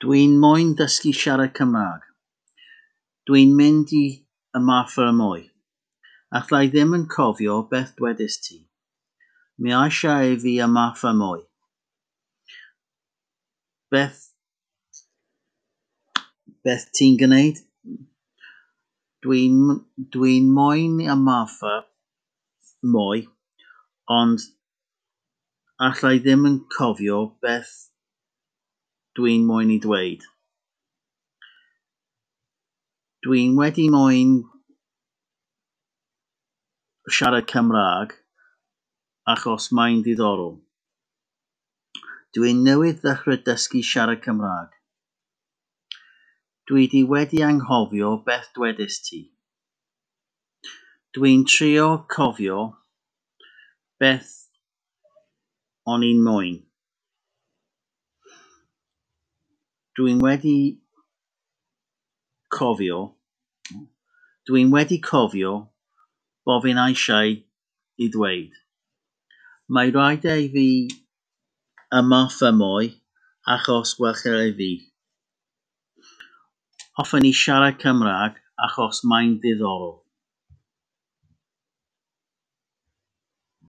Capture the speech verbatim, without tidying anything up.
Dwi'n moyn dysgu siarad Cymraeg. Dwi'n mynd i ymarfer mwy. Alla i ddim yn cofio beth dwedais ti. Mae eisiau i fi ymarfer mwy. Beth beth ti'n gwneud? Dwi'n dwi'n moyn ymarfer mwy, ond alla i ddim yn cofio beth dwi'n moyn i dweud. Dwi'n wedi moyn siarad Cymraeg achos mae'n ddiddorol. Dwi'n newydd ddechrau dysgu siarad Cymraeg. Dwi 'di wedi anghofio beth dwedais ti. Dwi'n trio cofio beth o'n i'n moyn. Dwi'n wedi cofio... Dwi'n wedi cofio bo' fi'n eisiau i ddweud. Mae rhaid i fi ymarfer mwy achos i fi. Hoffwn i siarad Cymraeg achos mae'n ddiddorol.